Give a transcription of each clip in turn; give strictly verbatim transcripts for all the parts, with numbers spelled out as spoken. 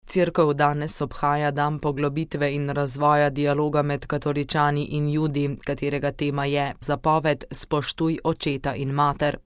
Cerkev danes obhaja dan poglobitve in razvoja dialoga med katoličani in Judi, katerega tema je zapoved spoštuj očeta in mater.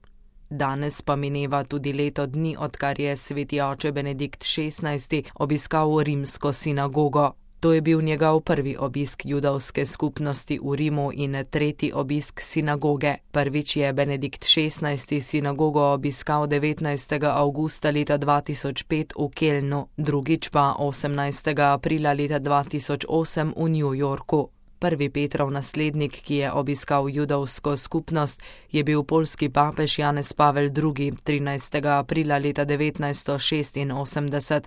Danes pa mineva tudi leto dni, odkar je sveti oče Benedikt šestnajsti obiskal rimsko sinagogo. To je bil njegov prvi obisk judovske skupnosti v Rimu in tretji obisk sinagoge. Prvič je Benedikt šestnajsti sinagogo obiskal devetnajstega avgusta leta dva tisoč pet v Kelnu, drugič pa osemnajstega aprila leta dva tisoč osem v New Yorku. Prvi Petrov naslednik, ki je obiskal judovsko skupnost, je bil poljski papež Janez Pavel drugi, trinajstega aprila leta devetnajststo šestinosemdeset.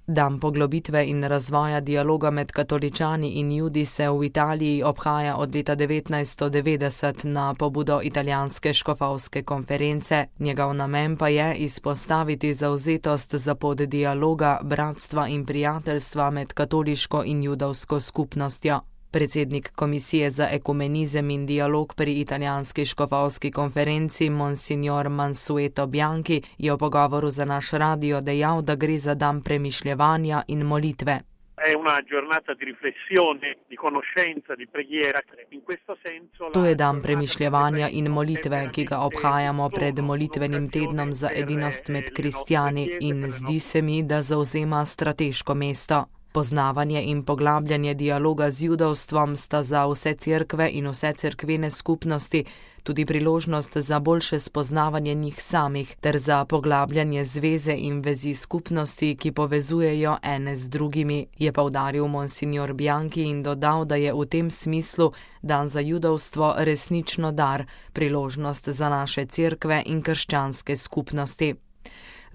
Dan poglobitve in razvoja dialoga med katoličani in Judi se v Italiji obhaja od leta devetnajststo devetdeset na pobudo italijanske škofovske konference. Njegov namen pa je izpostaviti zavzetost za pot dialoga, bratstva in prijateljstva med katoliško in judovsko skupnostjo. Predsednik Komisije za ekumenizem in dialog pri italijanski škofovski konferenci Monsignor Mansueto Bianchi je v pogovoru za naš radio dejal, da gre za dan premišljevanja in molitve. To je dan premišljevanja in molitve, ki ga obhajamo pred molitvenim tednom za edinost med kristjani in zdi se mi, da zavzema strateško mesto. Poznavanje in poglabljanje dialoga z judovstvom sta za vse cerkve in vse cerkvene skupnosti tudi priložnost za boljše spoznavanje njih samih ter za poglabljanje zveze in vezi skupnosti, ki povezujejo ene z drugimi, je poudaril Monsignor Bianchi in dodal, da je v tem smislu dan za judovstvo resnično dar, priložnost za naše cerkve in krščanske skupnosti.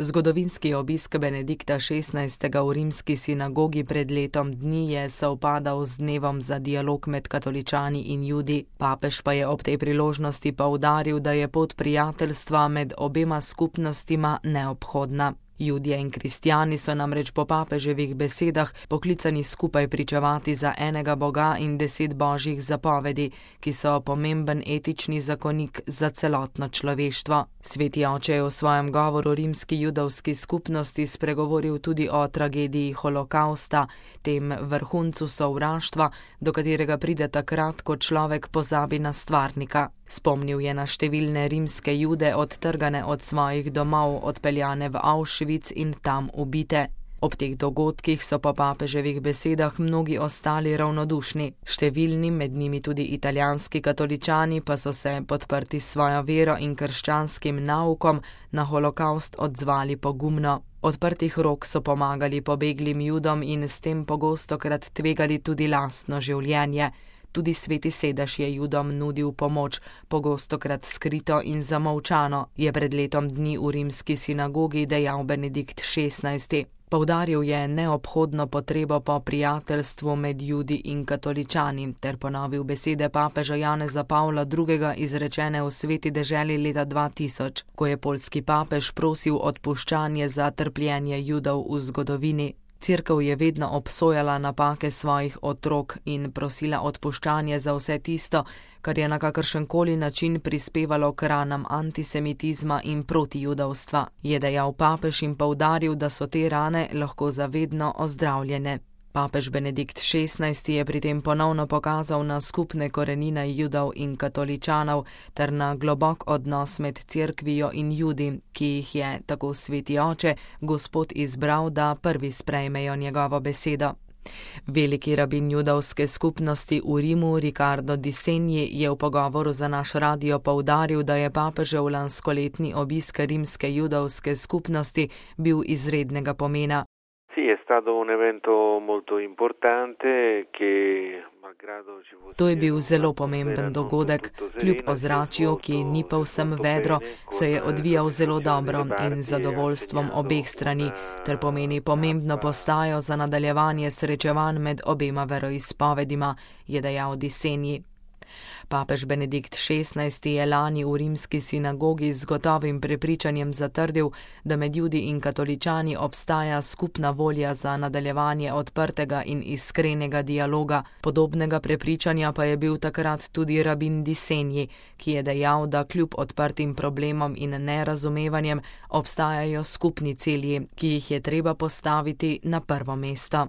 Zgodovinski obisk Benedikta šestnajstega v rimski sinagogi pred letom dni je sovpadal z dnevom za dialog med katoličani in Judi. Papež pa je ob tej priložnosti poudaril, da je pot prijateljstva med obema skupnostima neobhodna. Judje in kristjani so namreč po papeževih besedah poklicani skupaj pričevati za enega Boga in deset božjih zapovedi, ki so pomemben etični zakonik za celotno človeštvo. Sveti oče je v svojem govoru rimski judovski skupnosti spregovoril tudi o tragediji holokausta, tem vrhuncu sovraštva, do katerega pride takrat, ko človek pozabi na stvarnika. Spomnil je na številne rimske Jude odtrgane od svojih domov, odpeljane v Auschwitz in tam ubite. Ob teh dogodkih so po papeževih besedah mnogi ostali ravnodušni. Številni, med njimi tudi italijanski katoličani, pa so se, podprti svojo vero in krščanskim naukom, na holokaust odzvali pogumno. Odprtih rok so pomagali pobeglim Judom in s tem pogostokrat tvegali tudi lastno življenje. Tudi sveti sedež je Judom nudil pomoč, pogostokrat skrito in zamolčano, je pred letom dni v rimski sinagogi dejal Benedikt šestnajsti. Poudaril je neobhodno potrebo po prijateljstvu med Judi in katoličani ter ponovil besede papeža Janeza Pavla drugega izrečene v sveti deželi leta dva tisoč, ko je poljski papež prosil odpuščanje za trpljenje Judov v zgodovini. Cerkev je vedno obsojala napake svojih otrok in prosila odpuščanje za vse tisto, kar je na kakršenkoli način prispevalo k ranam antisemitizma in protijudovstva, je dejal papež in poudaril, da so te rane lahko zavedno ozdravljene. Papež Benedikt šestnajsti je pri tem ponovno pokazal na skupne korenine Judov in katoličanov ter na globok odnos med cerkvijo in Judi, ki jih je, tako sveti oče, Gospod izbral, da prvi sprejmejo njegovo besedo. Veliki rabin judovske skupnosti v Rimu, Riccardo Di Segni, je v pogovoru za naš radio poudaril, da je papežev lanskoletni obisk rimske judovske skupnosti bil izrednega pomena. To je bil zelo pomemben dogodek, kljub ozračju, ki ni povsem vedro, se je odvijal zelo dobro in z zadovoljstvom obeh strani, ter pomeni pomembno postajo za nadaljevanje srečevanj med obema veroizpovedima, je dejal Di Segni. Papež Benedikt šestnajsti je lani v rimski sinagogi z gotovim prepričanjem zatrdil, da med Judi in katoličani obstaja skupna volja za nadaljevanje odprtega in iskrenega dialoga. Podobnega prepričanja pa je bil takrat tudi rabin Disenji, ki je dejal, da kljub odprtim problemom in nerazumevanjem obstajajo skupni cilji, ki jih je treba postaviti na prvo mesto.